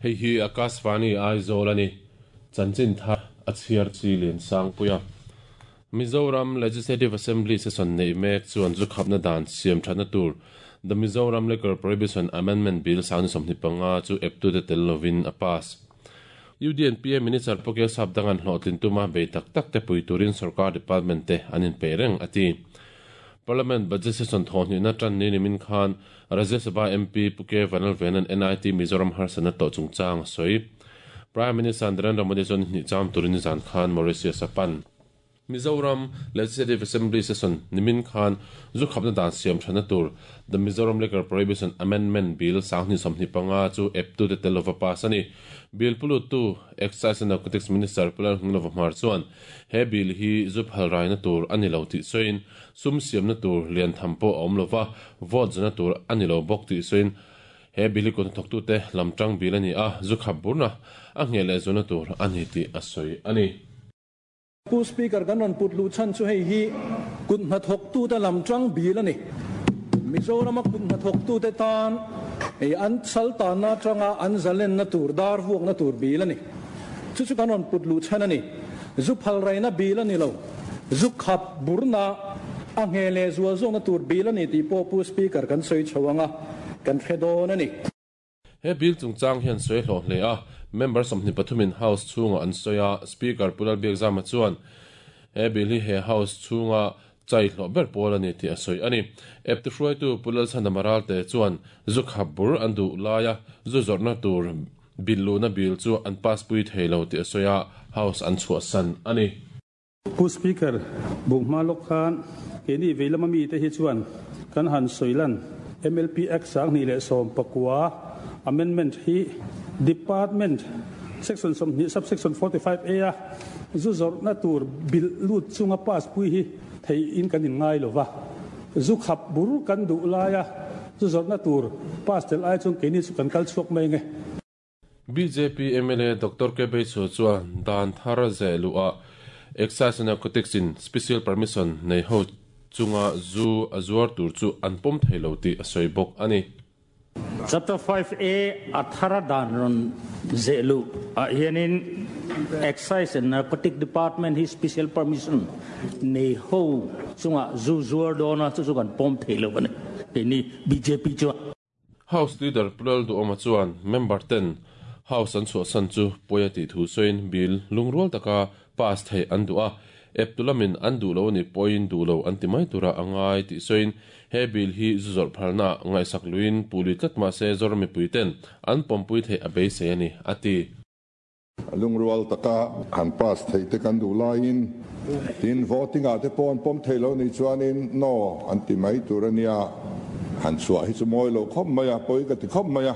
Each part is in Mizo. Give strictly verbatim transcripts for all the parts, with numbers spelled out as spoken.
Hei hi Akashvani Aizawl ani chanchin tha a chhiar chi lian sang puia Mizoram Legislative Assembly session nei mek chuan zu khapna dan siam thana tur The Mizoram Liquor Prohibition Amendment Bill sang somni panga chu eptu te tel lovin a pass U D N P A Minister Pokel Sap dangan hlotlin tuma bei tak tak te pui turin sarkar department te anin pe reng ati Parliament budget session thoni na tran ni nimin khan Rajya Sabha M P Puke Vanal Venan N I T Mizoram harsana to chungchang soi Prime Minister Narendra Modi chon ni cham turin zan khan Mauritius apan Mizoram Legislative Assembly session nimin khan zu khapna dan siam thana tur The Mizoram Liquor Prohibition Amendment Bill sangni somni panga chu eptu te telova pass ani Bill pulu tu Excise and Narcotics Minister Pular Hnglova Hmar chuan he bill hi zu phalrai na tur ani lo ti soin sum siam na tur lian thampo awm lova vote zana tur ani lo bok ti soin he bill kon thok tu te lamtang bill ani a zu khap burna a ngele zona tur ani ti asoi ani Pu Speaker kan ron put lu chan chu hei hi kun na thok tu ta lam tang bil ani Mizoram a kun na thok tu te tan ei an sal ta na tanga an zalen na tur dar vuak na tur bil ani chu chu kan ron put lu chan ani zu phal rai na bil ani lo zu khap burna a ngele zuwa zo na tur bil ani ti po Pu Speaker kan soi chawanga kan thedon ani he bil chungchang hian soi hlo hle a member somni pathumin house chunga an soya speaker Pulal Biakzama chuan he bil hi he house chunga chai hlo ber pawl ani ti a soi ani eptu hruai tu Pulal Chanamaral te chuan zu khap bur an du laia zu zawrhna tur bil lu na bil chu an pass pui theilo ti a soya house an chhuah san ani Pu Speaker bukma lok khan keni veilama mi te hi chuan kan han soilan M L P Act sang ni le som pakwa amendment hi department section som ni subsection forty-five A a zu zor na tur bil lut chunga pass pui hi thei in kan in ngai lova zu khap bur kan du laia zu zor na tur pass tel ai chung keni chu kan kal chuak mai nge B J P M L A Doctor K B Chu chuan dan thar ze lu a Excise and Narcotics in special permission nei ho chunga zu azuar tur chu an pom theilo ti a soi bok ani Chapter five A athara dan ron zelu a hianin Excise and Narcotic Department hi special permission nei ho chunga zu zuar dona chu chu kan pom theilo bane ni B J P chu House Leader Pulal du oma chuan member ten House an chu san chu poya ti thu soin bill lungrual taka pass thei an du a eptulamin an du lo ni point du lo an ti mai tura angai ti soin he bill hi zuzor phalna ngai sak luin puli tlat ma se zormi puiten an pompui the a be se ani ati lungrual taka han pass thei te kan du lain tin voting a te pon pom theilo ni chuanin no an ti mai turania han chua hi chu moi lo khop maya poi ka ti khop maya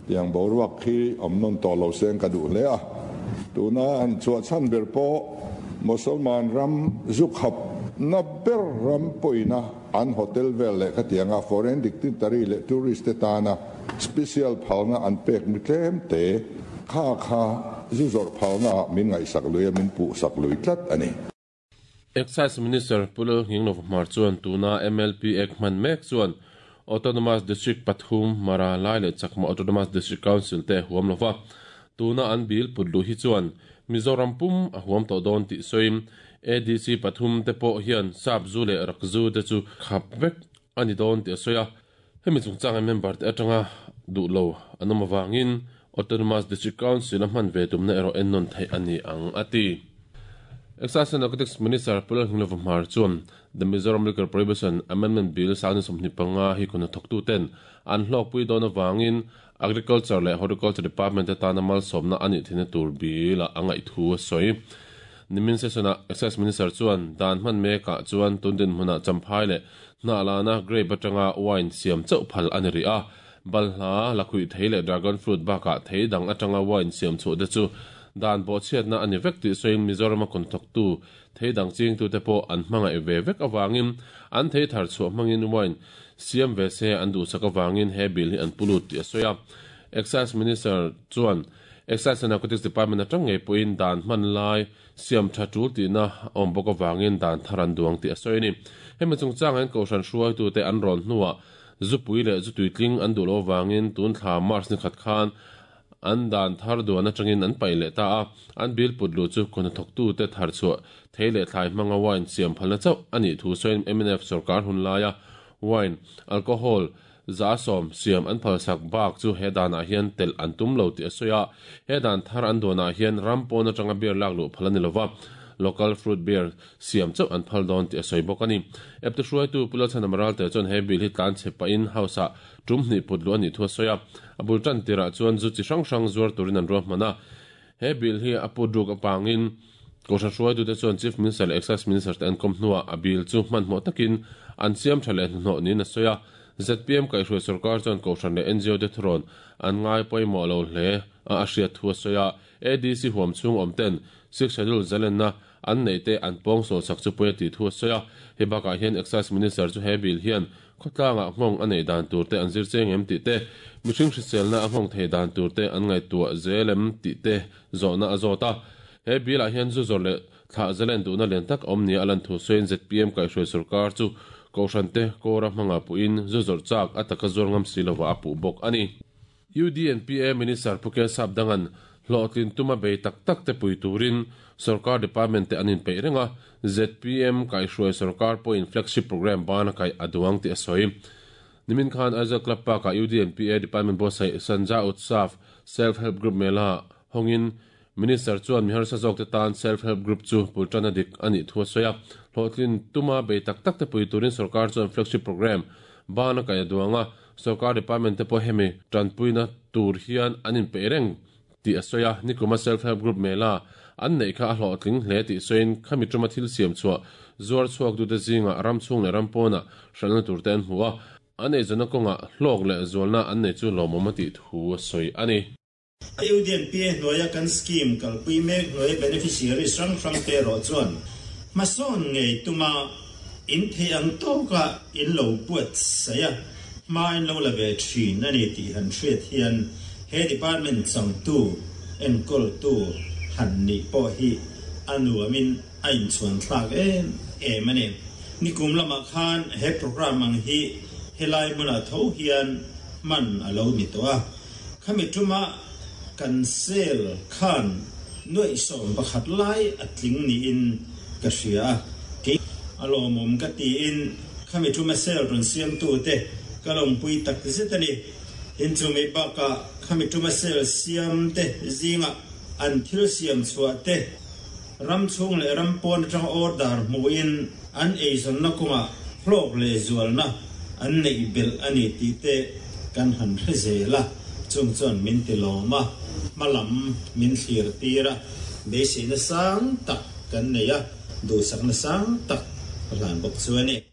tiang boruak khi omnon to lo seng ka du le a tuna han chua chan ber po Musalman ram zukhap na ber ram poina an hotel vel le khatianga foreign dignitary le tourist te tana special phalna an pek mi tlem te kha kha zuzor phalna min ngai sak lui min pu sak lui tlat ani Excise Minister Pulal Hnglova Hmar chuan tuna M L P Act man mek chuan Autonomous District pathum Mara Lai le Chakma Autonomous District Council te huam lova tuna an bil putlu hi chuan Mizoram pum a huam to don ti soim A D C pathum te po hian sap zu le rak zu te chu khap vek ani don ti soya hemi chungchang member te atanga du lo anoma wangin Autonomous District Council a hman ve tumna ero ennon thei ani ang ati Excise and Narcotics Minister Pulal Hnglova Hmar chuan The Mizoram Liquor Prohibition Amendment Bill sang somni panga hi kuna thoktu ten an hlok pui don awangin Agriculture le Horticulture Department te tana mal somna ani thina tur bil a angai thu soi nimin session a Excise Minister chuan dan hman meka chuan tundin hmuna champhai le na lana grape atanga wine siam chau phal ani ri a balhla lakhui thei le dragon fruit baka thei dang atanga wine siam chu te chu dan bo chiat na ani vek ti soin Mizoram a kon thok tu thei dang ching tu te po an hmanga e ve vek awangin an thei thar chu hmangin wine siam ve se an du sak awangin he bil hi an pulut ti a soya Excise Minister chuan Excise and Narcotics Department atang ngei puin dan hman lai siam tha tul ti na awm bawk awangin dan thar an duang ti a sawi ni. Hemi chungchang hian kohhran hruaitu te an rawn hnuah zupui leh zu tuitling an duh lo awangin tun thla March ni khat khan an dan thar duan atangin an pai leh ta a. An bill put lu chu kun thawktu te thar chhuah thei leh thlai hmanga wine siam phalna chauh ani thu sawiin M N F sarkar hun laia wine alcohol za som siam an phalsak bak chu he danah hian tel an tum lo ti a sawi a. He dan thar an duanah hian ram pawn atanga beer lak luh phal ani lova, local fruit beer siam chauh an phal dawn ti a sawi bawk ani. Epte hruaitu Pulal Chhan Amaral te chuan he bill hi tlan che pahin house ah tum hnih put lu ani thu a sawi a. A bul tan tirah chuan zu chi hrang hrang zuar turin an ruah hman a. He bill hi a put ruk apangin kohhran hruaitu te chuan Chief Minister leh Excise Minister te an kawm hnuah a bill chu hmanhmawh takin an siam tha leh hnuhnawh niin a sawi a. Z P M kaihhruai sarkar chuan kohhran leh N G O te thurawn an ngai pawimawh lo hle a a hriat thu a sawi a. A D C huam chhung awm ten Six Schedule zalenna an nei te an pawng sawl sak chu pawia tih thu a sawi a. He bakah hian Excise Minister chu he bill hian khawtlangah nghawng a nei dan tur te an zir cheng em tih te, mihring hriselna a nghawng thei dan tur te an ngaihtuah zel em tih te zawhna a zawt a. He bill ah hian zu zawr leh thlah zalen duhna lian tak awm nia a lan thu sawiin Z P M kaihhruai sarkar chu kohhran te kawra hmanga puhin zu zawrh chak a taka zuar ngam si lova a puh bawk ani. U D N P A Minister Puke Sapdangan hlawhtlin tuma bei tak tak te pui turin sarkar department te an inpeih reng a. Z P M kaihhruai sarkar pawhin flagship program bana kai a duang ti a sawi. Nimin khan Aizawl Club Park ah U D N P A Department boss Sanja Utsav Self Help Group mela hongin Minister chuan mihar sa zawk te tan self help group chu pultana dik ani thu a sawi a. Hlawhtlin tuma bei tak tak te pui turin sarkar chuan flagship program bana kai a duang a. Sarkar department te pawh hemi tanpuina tur hian an inpeih reng ti a sawi a. Nikuma self help group mela an nei kha a hlawhtling hle tih sawiin khami tuma thil siam chhuah zuar chhuak tu te zinga ram chhung leh ram pawna hralhna tur te an hmu a. An ei zawna kawnga hlawk leh zualna an nei chu lawmawm a tih thu a sawi ani. U D N P A hnuaia kan scheme kalpui mek hnuai beneficiaries hrang hrang te rawh chuan hmasawn ngei tuma in thei ang tawka in lo buat saia hma in lo la ve thin ani tih han hriat hian he department changtu enkawl tu han ni pawh hi a nuamin a inchhuan thlak em em ani. Nikum lamah khan he program ang hi helai hmunah tho hian man a lo ni tawh a. Khami tuma kan sel khan nuai sawm pakhat lai a tling niin ka hria a. Ke a lawmawm ka tiin khami tuma sel rawn siam tu te ka lawmpui tak zet ani. Tin chumi bakah khami tuma sel siam te zinga an thil siam chhuah te ram chhung leh ram pawn atanga order hmuhin an eizawnna kawnga hlawk leh zualna an neih belh ani tih te kan han hre zel a. Chung chuan min ti lawm a, hmalam min thlir tir a, beiseina sang tak kan nei a, duhsakna sang tak a hlan bawk chu ani.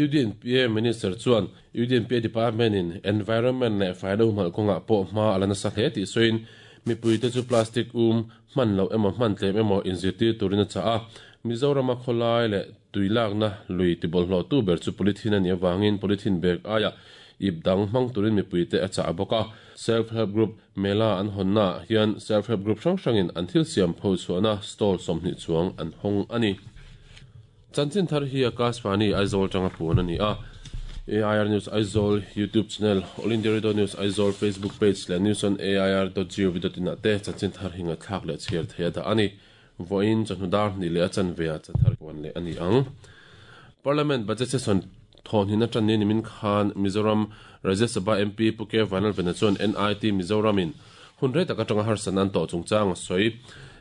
U D N P A Minister chuan U D N P A Department in Environment leh faina humhalh kawngah pawh hma a la nasa hle tih sawiin mipui te chu plastic um hman lo emaw hman tlem emaw inzirtir turin a chah a. Mizorama khawlai leh tuilakna lui tibawlhhlawh tu ber chu polythene ani awangin polythene bag aia ip dang hmang turin mipui te a chah a bawk a. Self help group mela an hawnna hian self help group hrang hrangin an thil siam pho chhuahna stall sawmhnih chuang an hawng ani. Chanchin thar hi Akashvani Aizawl tanga puan ani a. A I R News Aizawl YouTube channel, All India Radio News Aizawl Facebook page leh news on A I R dot gov dot in ah te chanchin thar hi ngaihthlak leh chhiar thei a dah ani. Vawiin chawhnu ni leh a chanve ah chathar puan leh ani ang. Parliament budget session thawhnin atang ni nimin khan Mizoram Rajya Sabha M P Puke Vanlalvena chuan N I T Mizoramin hun rei tak atanga harsan an tawh chungchang a sawi.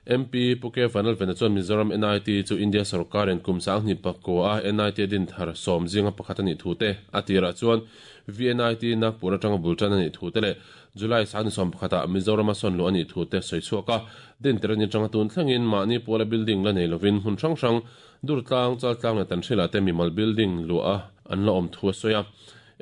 M P Puke Vanlalvena chuan Mizoram N I T chu India sarkarin kum sang hnih pakua a N I T din thar sawm zinga pakhat ani thu te a tirah chuan V N I T Nagpur atanga bultan ani thu te leh July sang sawm pakhatah Mizoram a sawn lu ani thu te sawi chhuak a. Din terani tanga tun thlengin mahni pawla building la nei lovin hmun hrang hrang durtlang chaltlang leh tanhrila te mimal building lu a an la awm thu a sawi a.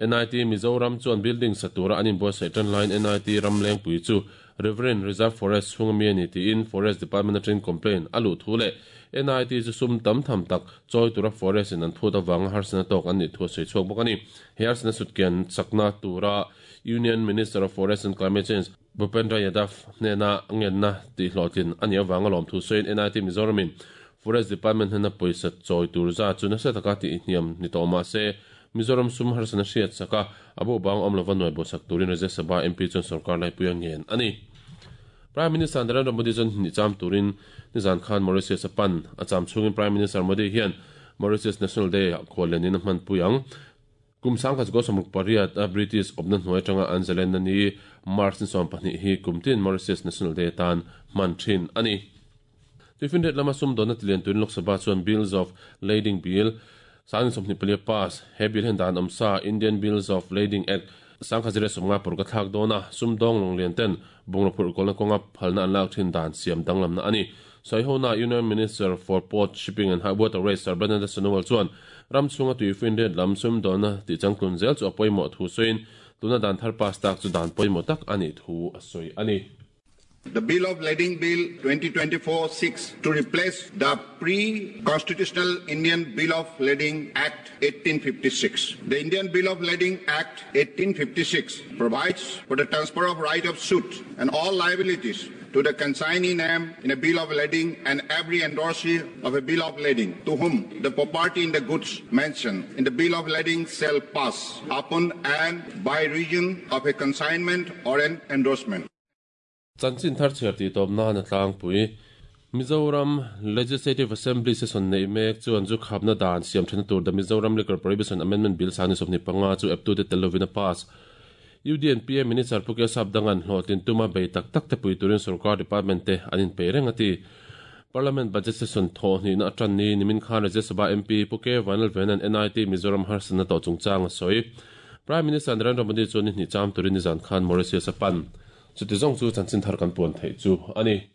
N I T Mizoram chuan building satura an inbuatsaih tan laiin N I T Ramlengpui chu Reverend Reserve Forest chhunga mi ani tiin Forest Department atangin complaint a luh thu leh N I T chu sum tam tham tak chawi tura forest in an phut awanga harsana tawk an nih thu a sawi chhuak bawk ani. He harsana sutkian chakna tura Union Minister of Forest and Climate Change Bhupendra Yadav hnena ngenna tih hlawhtlin ani awanga lawm thu sawiin N I T Mizoramin Forest Department hnena pawisa chawi tur za chu nasa taka tih hniam ni tawh mah se Mizoram sum harsana hriat saka abu bang awm lova nuai bo sak turin Rajya Sabha M P chuan sarkar laipui a ngen ani. Prime Minister Narendra Modi chuan ni cham turin nizan khan Mauritius a pan a cham chungin Prime Minister Modi hian Mauritius National Day a khawlenin a hman pui ang. Kum sang khat go samuk pariat a British obna hnuai tanga anzalen na ni March ni sawm pahnih hi kumtin Mauritius National Day tan hman thin ani. Tuifin ret lama sum dona tilian tuin Lok Sabha chuan Bills of Lading Bill sang sawmhnih pali pass he bill hen dan awmsa Indian Bills of Lading Act sang khat zira sawmnga por ka thlak dona sum dawng lawng lian ten bungraw phurh kawlna kawnga phalna an lak thin dan siam danglamna ani. Saihona Union Minister for Port Shipping and Waterways Sarbananda Sonowal chuan ram chunga tuifin ret lam sum dona ti changtlun zel chu a pawimawh thu sawiin tuna dan thar pass tak chu dan pawimawh tak ani thu a sawi ani. The Bill of Lading Bill twenty twenty-four six to replace the pre-constitutional Indian Bill of Lading Act eighteen fifty-six. The Indian Bill of Lading Act eighteen fifty-six provides for the transfer of right of suit and all liabilities to the consignee name in a bill of lading and every endorsee of a bill of lading to whom the property in the goods mentioned in the bill of lading shall pass upon and by reason of a consignment or an endorsement. Chanchin thar chher ti tawp na na tlangpui Mizoram Legislative Assembly session nei mek chuan chu khapna dan siam thena tur the Mizoram Liquor Prohibition Amendment Bill sani sawmhnih panga chu eptu te telovina pass U D N P A Minister Puke Sapdangan hlawhtlin tuma bei tak tak te pui turin sarkar department te anin pe reng ati. Parliament budget session thaw hnih na atan ni nimin khan Rajya Sabha M P Puke Vanal Venan N I T Mizoram harsana to chungchang a sawi. Prime Minister Narendra Modi chuan ni hnih cham turin nizan khan Mauritius a pan. Chuti zawng chu chanchin thar kan puan theih chu ani.